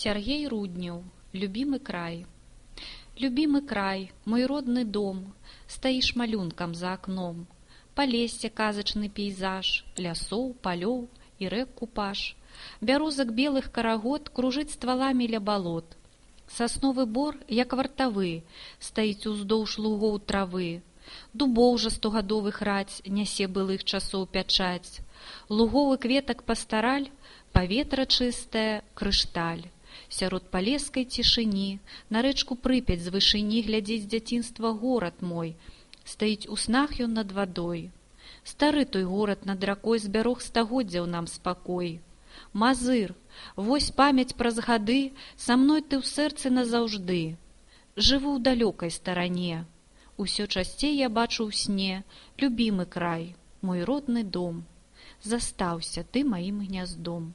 Сергей Руднев. Любимый край. Любимый край, мой родный дом, стаіш малюнкам за акном. Палессе казачны пейзаж, лясоў, палёў і рэк купаж. Бярозак белых карагод кружыць стваламі ля балот. Сасновы бор, як вартавы, стаіць уздоўж лугоў травы. Дубоў жа стогадовых раць нясе былых часоў пячаць. Лугоў і кветак пастараль, паветра чыстае, крышталь. Сярод палескай цішыні на рэчку Прыпяць з вышыні глядзіць дзяцінства горад мой. Стаіць у снах ён над вадой. Стары той горад над ракой збярог стагоддзяў нам спакой. Мазыр, вось памяць праз гады, са мной ты ў сэрцы назаўжды. Жыву ў далёкай старане. Усё часцей я бачу ў сне любімы край, мой родны дом. Застаўся ты маім гняздом.